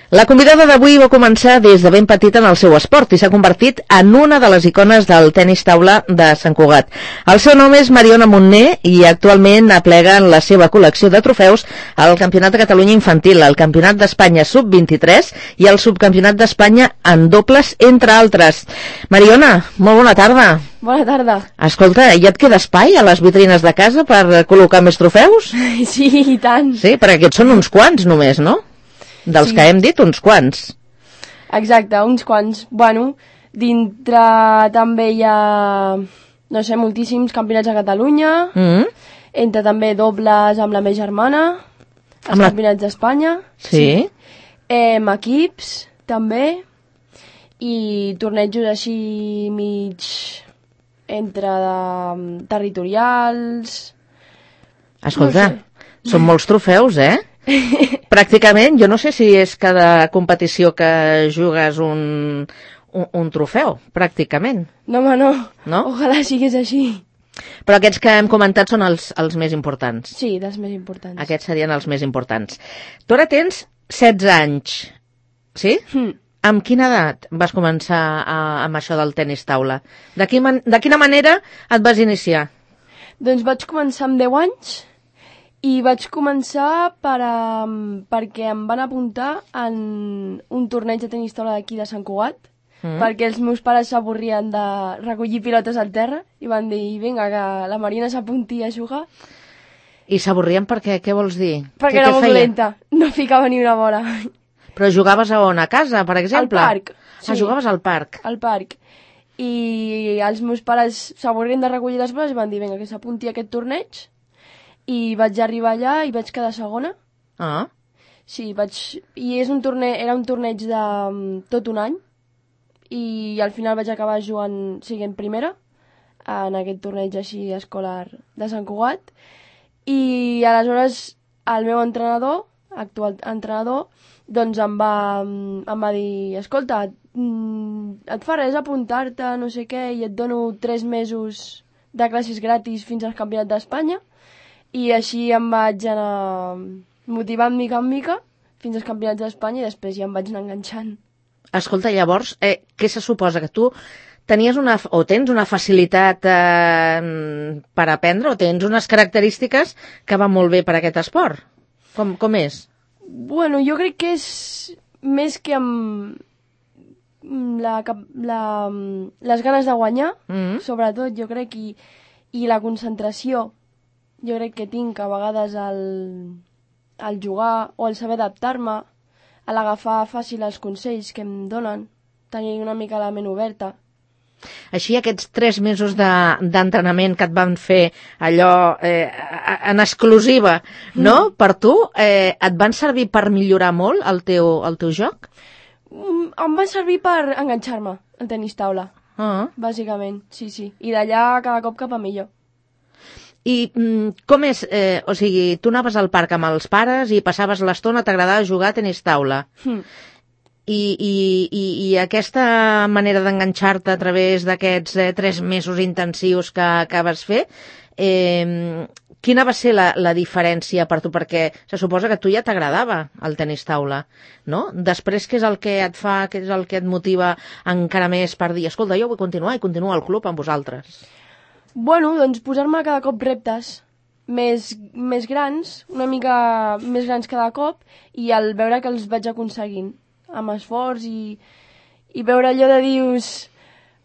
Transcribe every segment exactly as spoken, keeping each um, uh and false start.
La convidada d'avui va començar des de ben petita en el seu esport i s'ha convertit en una de les icones del tenis taula de Sant Cugat. El seu nom és Mariona Montner i actualment aplega en la seva col·lecció de trofeus el Campionat de Catalunya Infantil, el Campionat d'Espanya sub vint-i-tres i el Subcampionat d'Espanya en dobles, entre altres. Mariona, molt bona tarda. Bona tarda. Escolta, ja et queda espai a les vitrines de casa per col·locar més trofeus? Sí, i tant. Sí, perquè aquests són uns quants només, no? Dels sí. Que hem dit, uns quants. Exacte, uns quants. Bueno, dintre també hi ha, no sé, moltíssims campionats a Catalunya, mm. entre també dobles amb la meva germana, els amb campionats la... d'Espanya. Sí. sí. Eh, equips, també, i tornejos així mig entre de, territorials... Escolta, no sé. Són molts trofeus, eh? Pràcticament, jo no sé si és cada competició que jugues un, un, un trofeu, pràcticament. No, home, no. No? Ojalà sigués així. Però aquests que hem comentat són els, els més importants. Sí, dels més importants. Aquests serien els més importants. Tu ara tens setze anys, sí? Mm. Amb quina edat vas començar a, amb això del tenis taula? De, quin, de quina manera et vas iniciar? Doncs vaig començar amb deu anys i vaig començar per, um, perquè em van apuntar en un torneig de tenis taula d'aquí de Sant Cugat, mm. perquè els meus pares s'avorrien de recollir pilotes al terra i van dir, vinga, que la Mariona s'apunti a jugar. I s'avorrien perquè, què vols dir? Perquè era molt dolenta, no ficava ni una bola. Però jugaves a on? A casa, per exemple? Al parc. Sí. Ah, jugaves al parc. Al parc. I els meus pares s'avorrien de recollir les boles i van dir, vinga, que s'apunti a aquest torneig. I vaig arribar allà i vaig quedar segona. Ah. Sí, vaig... I és un torneig, era un torneig de um, tot un any. I al final vaig acabar jugant, siguent primera, en aquest torneig així escolar de Sant Cugat. I aleshores el meu entrenador, actual entrenador, doncs em va, em va dir, escolta, et fa res apuntar-te, no sé què, i et dono tres mesos de classes gratis fins al Campionat d'Espanya. I així em vaig anar motivant mica en mica fins als Campionats d'Espanya i després ja em vaig anar enganxant. Escolta, llavors, eh, què se suposa? Que tu tenies una, o tens una facilitat eh, per aprendre o tens unes característiques que van molt bé per aquest esport? Com, com és? Bueno, jo crec que és més que amb la, la, les ganes de guanyar, mm-hmm. sobretot, jo crec, i, i la concentració. Jo crec que tinc a vegades el, el jugar o el saber adaptar-me, a l'agafar fàcil els consells que em donen, tenir una mica la ment oberta. Així aquests tres mesos de, d'entrenament que et van fer allò eh, en exclusiva, no? Mm. Per tu, eh, et van servir per millorar molt el teu, el teu joc? Mm, em van servir per enganxar-me al tenis taula, uh-huh. bàsicament, sí, sí. I d'allà cada cop cap a millor. I mm, com és, eh, o sigui, tu anaves al parc amb els pares i passaves l'estona, t'agradava jugar a tenis taula. Mm. I, i, i, I aquesta manera d'enganxar-te a través d'aquests eh, tres mesos intensius que, que vas fer, eh, quina va ser la, la diferència per tu? Perquè se suposa que a tu ja t'agradava el tenis taula, no? Després, què és el que et fa, què és el que et motiva encara més per dir, escolta, jo vull continuar i continuo al club amb vosaltres? Bueno, doncs posar-me cada cop reptes més, més grans, una mica més grans cada cop, i al veure que els vaig aconseguint amb esforç i, i veure allò de dius,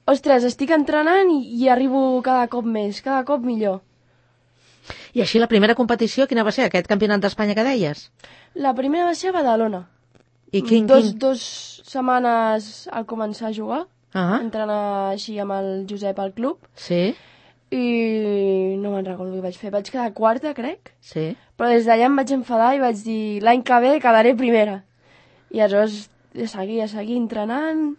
ostres, estic entrenant i, i arribo cada cop més, cada cop millor. I així la primera competició, quina va ser, aquest campionat d'Espanya que deies? La primera va ser a Badalona. I quin, dos, quin... dos setmanes al començar a jugar, uh-huh. entrenar així amb el Josep al club. Sí. I no me'n recordo què vaig fer. Vaig quedar quarta, crec. Sí. Però des d'allà em vaig enfadar i vaig dir l'any que ve quedaré primera. I aleshores a seguir, a seguir entrenant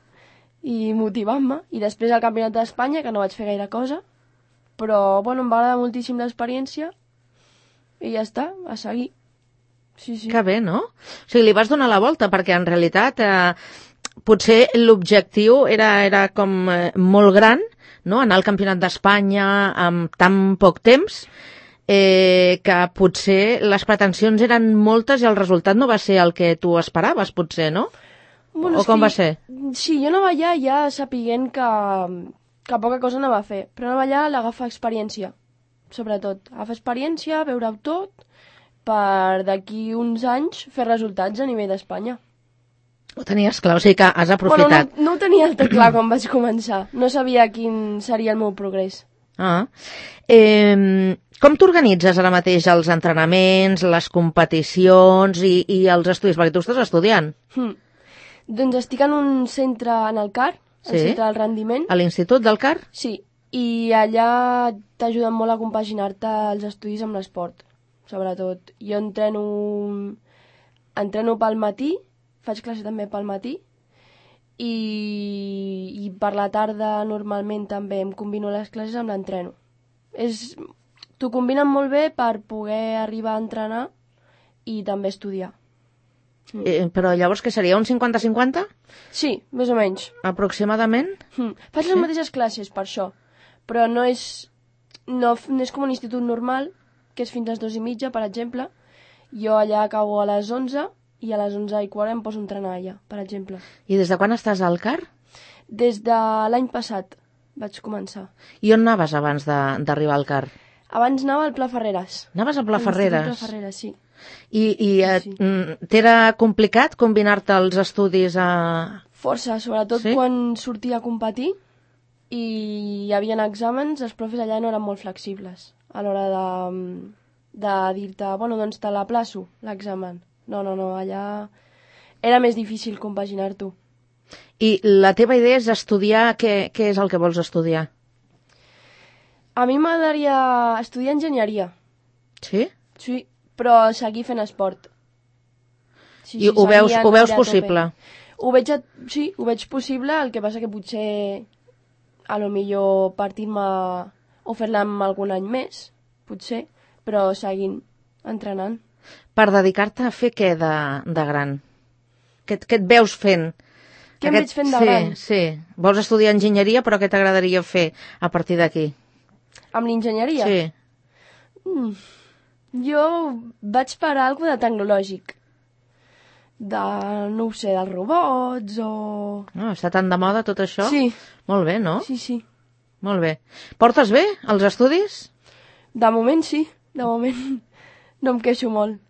i motivant-me. I després al Campionat d'Espanya, que no vaig fer gaire cosa, però bueno, em va agradar moltíssim l'experiència i ja està, a seguir. Sí, sí. Que bé, no? O sigui, li vas donar la volta, perquè en realitat eh, potser l'objectiu era, era com eh, molt gran, no? Anar al Campionat d'Espanya amb tan poc temps, eh, que potser les pretensions eren moltes i el resultat no va ser el que tu esperaves, potser, no? Bueno, o com que, va ser? Sí, jo anava allà ja sapiguent que, que poca cosa anava a fer, però anava allà a l'agafar experiència, sobretot. Agafar experiència, veure-ho tot, per d'aquí uns anys fer resultats a nivell d'Espanya. Ho tenies clar, o sigui que has aprofitat. Bueno, no, no ho tenia el tot clar quan vaig començar. No sabia quin seria el meu progrés. Ah. Eh, com t'organitzes ara mateix els entrenaments, les competicions i, i els estudis? Perquè tu estàs estudiant. Hm. Doncs estic en un centre en el C A R, el Sí? centre del rendiment. A l'Institut del C A R? Sí, i allà t'ajuden molt a compaginar-te els estudis amb l'esport, sobretot. Jo entreno, entreno pel matí, faig classe també pel matí, i, i per la tarda normalment també em combino les classes amb l'entreno. És, t'ho combinen molt bé per poder arribar a entrenar i també estudiar. Mm. Eh, però llavors què seria, un cinquanta cinquanta? Sí, més o menys. Aproximadament? Mm. Faig les mateixes classes per això, però no és, no, no és com un institut normal, que és fins a les dues i mitja, per exemple. Jo allà acabo a les onze i a les onze i quart em poso a entrenar allà, per exemple. I des de quan estàs al C A R? Des de l'any passat vaig començar. I on anaves abans de- d'arribar al C A R? Abans anava al Pla Ferreres. Anaves a Pla A l'Institut Ferreres? Pla Ferreres, sí. I, i eh, Sí. mm, t'era complicat combinar-te els estudis a... Força, sobretot Sí? quan sortia a competir i hi havia exàmens, els profes allà no eren molt flexibles a l'hora de, de dir-te, bueno, doncs te l'aplaço, l'examen. No, no, no, allà era més difícil compaginar-t'ho. I la teva idea és estudiar... Què, què és el que vols estudiar? A mi m'agradaria estudiar enginyeria, Sí? sí, però seguir fent esport. Sí, I ho seguir veus, a ho veus tope, a tope. possible? Ho veig, a- sí, ho veig possible, el que passa que potser a lo millor partir-me o fer-la amb algun any més, potser, però seguint entrenant. Per dedicar-te a fer què de, de gran? Què, et- què et veus fent? Què em veig fent de sí, gran? Sí, vols estudiar enginyeria, però què t'agradaria fer a partir d'aquí? Amb l'enginyeria? Sí. Mm. Jo vaig per algo de tecnològic. De, no ho sé, dels robots o... No, està tan de moda tot això? Sí, Molt bé, no? sí, sí. Molt bé. Portes bé els estudis? De moment sí, de moment no em queixo molt.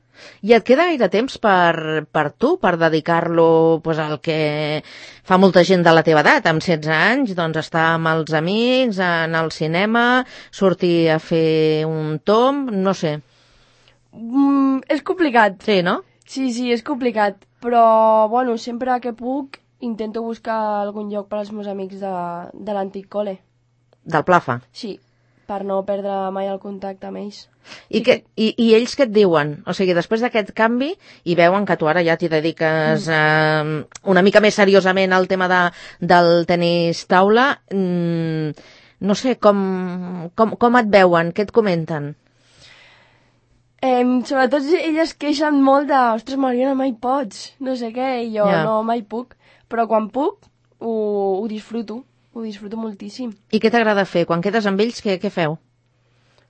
I et queda gaire temps per, per tu, per dedicar-lo pues, al que fa molta gent de la teva edat, amb setze anys, doncs estar amb els amics, anar al cinema, sortir a fer un tomb, no sé. Mm, és complicat. Sí, no? Sí, sí, és complicat, però, bueno, sempre que puc intento buscar algun lloc per als meus amics de, de l'antic col·le. Del Plafa. Sí, per no perdre mai el contacte amb ells. I, Sí que, i, I ells què et diuen? O sigui, després d'aquest canvi, i veuen que tu ara ja t'hi dediques eh, una mica més seriosament al tema de, del tenis taula, mm, no sé, com, com, com et veuen? Què et comenten? Eh, sobretot elles queixen molt de ostres, Mariona, mai pots, no sé què, i jo Ja. no, mai puc. Però quan puc, ho, ho disfruto, ho disfruto moltíssim. I què t'agrada fer? Quan quedes amb ells, què, què feu?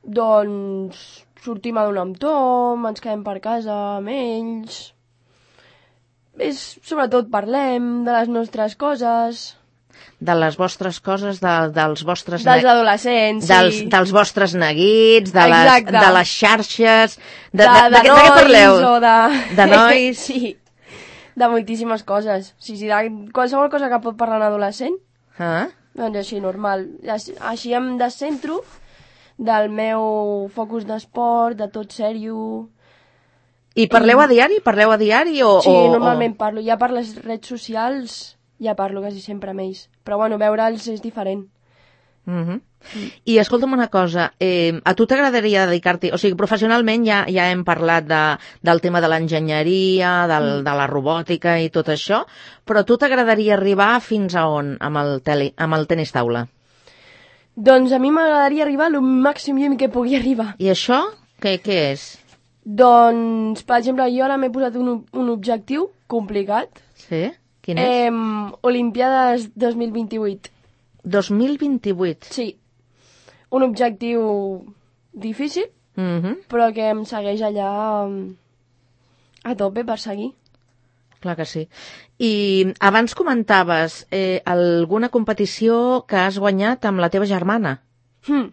Doncs sortim a donar amb tom, ens quedem per casa amb ells... És, sobretot parlem de les nostres coses, De les vostres coses, de, dels vostres... dels ne- adolescents, dels, sí. dels vostres neguits, de les, Exacte. de les xarxes... De, de, de, de, de, què- de què nois parleu? o de... De nois? sí, de moltíssimes coses. Sí, sí, de qualsevol cosa que pot parlar un adolescent, Ah? doncs així, normal. Així, així em descentro del meu focus d'esport, de tot sèrio... I parleu a diari? Parleu a diari o... Sí, o, normalment parlo. Ja per les redes socials ja parlo quasi sempre amb ells. Però bueno, veure'ls és diferent. Uh -huh. I escolta'm una cosa, eh, a tu t'agradaria dedicar-t'hi, o sigui, professionalment ja, ja hem parlat de, del tema de l'enginyeria, del, Mm. de la robòtica i tot això, però a tu t'agradaria arribar fins a on amb el, tele, amb el tenis taula? Doncs a mi m'agradaria arribar al màxim llum que pugui arribar. I això què, què és? Doncs, per exemple, jo ara m'he posat un, un objectiu complicat. Sí? Quin és? Eh, Olimpiades dos mil vint-i-vuit. dos mil vint-i-vuit. Sí. Un objectiu difícil, Mm-hmm. però que em segueix allà a tope per seguir. Clar que sí. I abans comentaves eh, alguna competició que has guanyat amb la teva germana. Hm.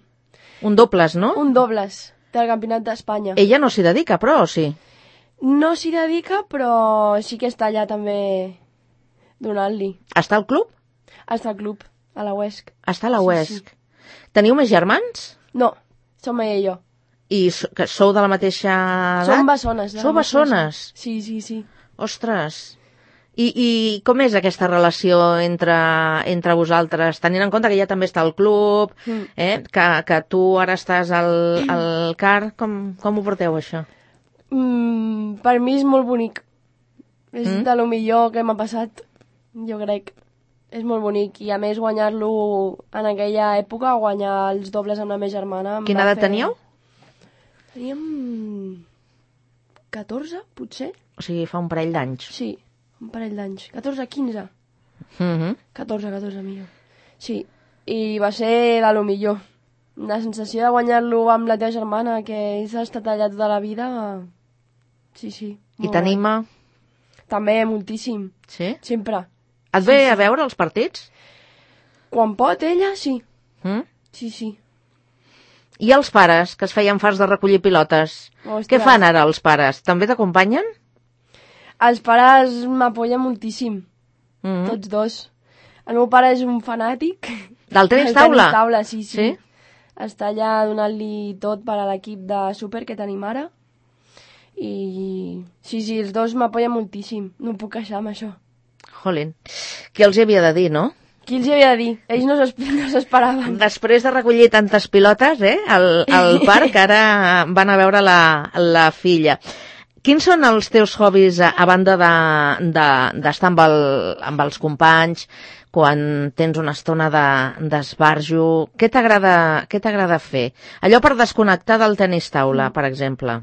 Un dobles, no? Un dobles del Campionat d'Espanya. Ella no s'hi dedica, però, o sí? No s'hi dedica, però sí que està allà també donant-li. Està al club? Està al club, a la Huesc. Està a la Sí, Huesc. Teniu més germans? No, som ella i jo. I so- que sou de la mateixa edat? Som bessones. de la Sou mateixa bessones? zona. Sí, sí, sí. Ostres. I, I com és aquesta relació entre, entre vosaltres? Tenint en compte que ella també està al club, Mm. eh? que, que tu ara estàs al, al car, com, com ho porteu, això? Mm, per mi és molt bonic. És Mm. de lo millor que m'ha passat, jo crec. És molt bonic. I a més guanyar-lo en aquella època, guanyar els dobles amb la meva germana... em Quina va edat fer- teníeu? Teníem catorze, potser? O sigui, fa un parell d'anys. Sí, un parell d'anys. catorze, quinze. Mm-hmm. catorze, catorze, millor. Sí, i va ser de lo millor. La sensació de guanyar-lo amb la teva germana, que has estat allà tota la vida... Sí, sí. I molt t'anima? guai. També, moltíssim. Sí? Sempre. Et ve a veure els partits? Quan pot, ella, sí. Mm? Sí, sí. I els pares, que es feien fars de recollir pilotes? Ostres. Què fan ara els pares? També t'acompanyen? Els pares m'apoyen moltíssim, Mm-hmm. tots dos. El meu pare és un fanàtic. Del tenis del taula? tenis taula, sí, sí. Sí? Està allà donant-li tot per a l'equip de súper que tenim ara. I sí, sí, els dos m'apoyen moltíssim. No em puc queixar amb això. Jolín. Qui els hi havia de dir, no? Qui els hi havia de dir? Ells no s'esp- no s'esperaven. Després de recollir tantes pilotes, eh, al, al parc, ara van a veure la, la filla. Quins són els teus hobbies a, a banda d'estar de, de, amb, el, amb els companys, quan tens una estona de- d'esbarjo? Què t'agrada què t'agrada fer? Allò per desconnectar del tenis taula, per exemple.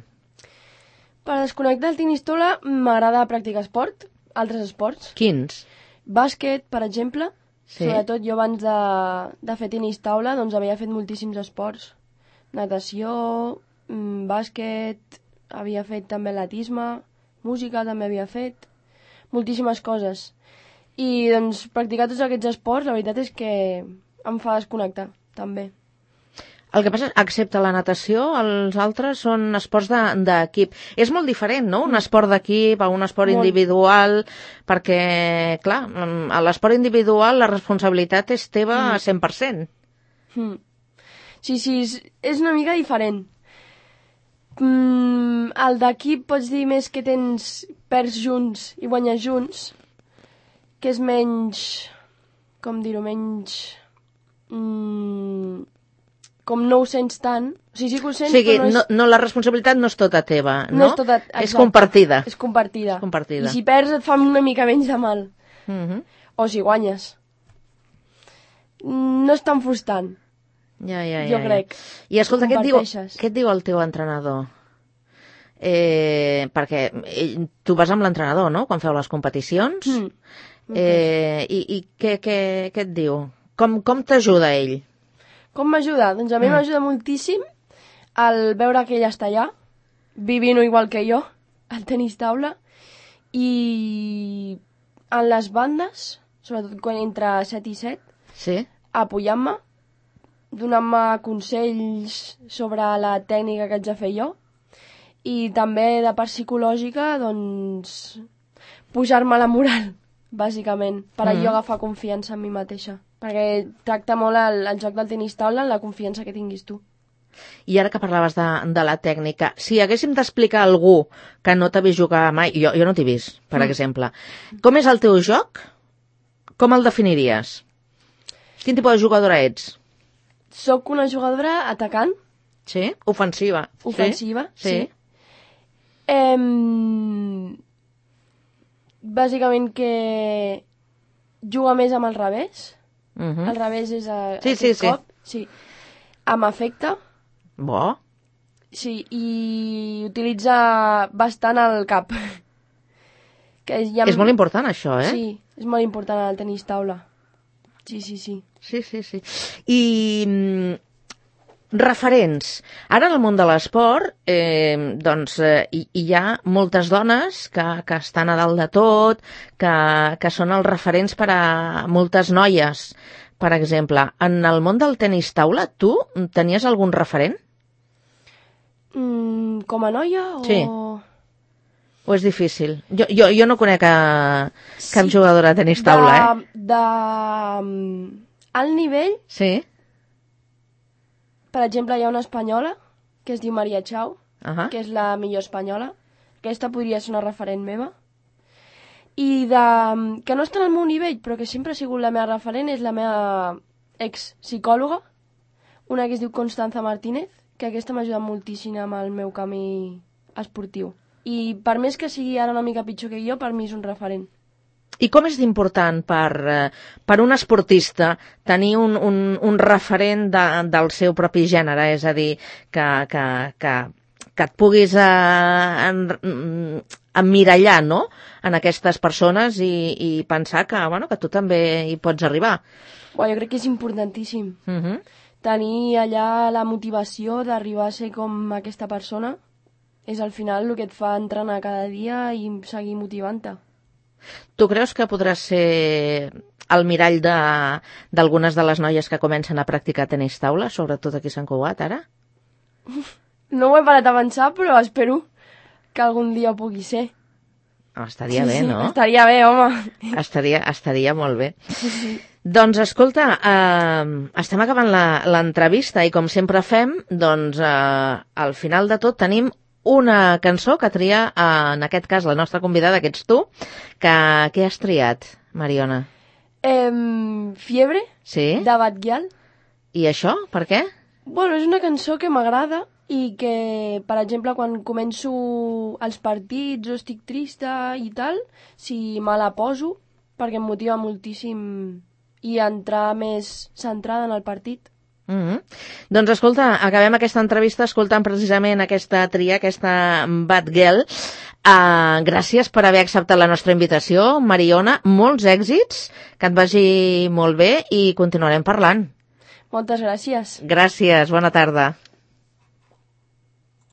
Per desconnectar el tenis taula m'agrada practicar esport, altres esports. Quins? Bàsquet, per exemple. Sí. Sobretot jo abans de, de fer tenis taula doncs havia fet moltíssims esports. Natació, mm, bàsquet, havia fet també atletisme, música també havia fet, moltíssimes coses. I doncs practicar tots aquests esports la veritat és que em fa desconnectar, també. El que passa, excepte la natació, els altres són esports de- d'equip. És molt diferent, no?, un esport d'equip a un esport Molt. individual, perquè, clar, a l'esport individual la responsabilitat és teva a cent per cent. Mm. Sí, sí, és, és una mica diferent. Mm, el d'equip pots dir més que tens perds junts i guanyes junts, que és menys, com dir-ho, menys... Mm, com no ho sents tant. O sigui, sí que ho O sents, sigui, però no és, no, no, la responsabilitat no és tota teva, no? no és tota... És exacte. compartida. És compartida. És compartida. I si perds et fa una mica menys de mal. Mhm. O si guanyes. Mm, No és tan frustrant. Ja, ja, ja. Jo ja. crec. I escolta, què et, diu, Comparteixes. què et diu el teu entrenador? Eh, perquè ell, tu vas amb l'entrenador, no?, quan feu les competicions. Mm. Eh, I i què, què, què et diu? Com, com t'ajuda ell? Com m'ajuda? Doncs a mi Mm. m'ajuda moltíssim el veure que ella està allà, vivint igual que jo, al tenis taula, i en les bandes, sobretot quan entre set i set, Sí? apoyant-me, donant-me consells sobre la tècnica que haig de fer jo, i també de part psicològica, doncs, pujar-me la moral, bàsicament, per Mm. jo agafar confiança en mi mateixa. Perquè tracta molt el, el joc del tenis taula en la confiança que tinguis tu. I ara que parlaves de, de la tècnica, si haguéssim d'explicar a algú que no t'ha vist jugar mai, jo, jo no t'he vist, per Mm. exemple, com és el teu joc? Com el definiries? Quin tipus de jugadora ets? Soc una jugadora atacant, Sí? Ofensiva. ofensiva, Sí? sí. Em... Bàsicament que juga més amb el revés. Mhm. El revés és a, Sí, aquest sí, sí. cop. Sí. Amb efecte, Bo. sí, i utilitza bastant el cap. Que ja em- És molt important, això, eh? Sí, és molt important el tenis taula. Sí, sí, sí. Sí, sí, sí. I mm, Referents. Ara en el món de l'esport eh, doncs, eh, hi, hi ha moltes dones que, que estan a dalt de tot, que, que són els referents per a moltes noies. Per exemple, en el món del tenis taula, tu tenies algun referent? Mm, com a noia o... Sí. O és difícil? Jo, jo, jo no conec a cap Sí. jugadora de tenis taula, de, eh? De... mm, Al nivell, Sí? per exemple, hi ha una espanyola que es diu Maria Chau, Uh-huh. que és la millor espanyola. Aquesta podria ser una referent meva. I de... que no està al meu nivell, però que sempre ha sigut la meva referent, és la meva ex-psicòloga, una que es diu Constanza Martínez, que aquesta m'ha ajudat moltíssim amb el meu camí esportiu. I per més que sigui ara una mica pitjor que jo, per mi és un referent. I com és d'important per, eh, per un esportista tenir un, un, un referent de, del seu propi gènere? És a dir, que, que, que, que et puguis eh, en, emmirallar, no?, en aquestes persones i, i pensar que, bueno, que tu també hi pots arribar. Uau, jo crec que és importantíssim. Uh-huh. Tenir allà la motivació d'arribar a ser com aquesta persona és al final el que et fa entrenar cada dia i seguir motivant-te. Tu creus que podràs ser el mirall de, d'algunes de les noies que comencen a practicar tenis taula, sobretot aquí a Sant Cugat, ara? No ho he parat a pensar, però espero que algun dia ho pugui ser. Oh, estaria bé, no? Estaria bé, home. Estaria, estaria molt bé. Sí, sí. Doncs escolta, eh, estem acabant la- l'entrevista i com sempre fem, doncs eh, al final de tot tenim una cançó que tria, eh, en aquest cas la nostra convidada, que ets tu, que, que has triat, Mariona? Em, Fiebre, Sí? de Bad Gyal. I això, per què? Bueno, és una cançó que m'agrada i que, per exemple, quan començo els partits o estic trista i tal, si me la poso, perquè em motiva moltíssim i entrar més centrada en el partit. Mm-hmm. Doncs escolta, acabem aquesta entrevista escoltant precisament aquesta tria, aquesta Bad Girl. Uh, gràcies per haver acceptat la nostra invitació, Mariona. Molts èxits, que et vagi molt bé i continuarem parlant. Moltes gràcies. Gràcies, bona tarda.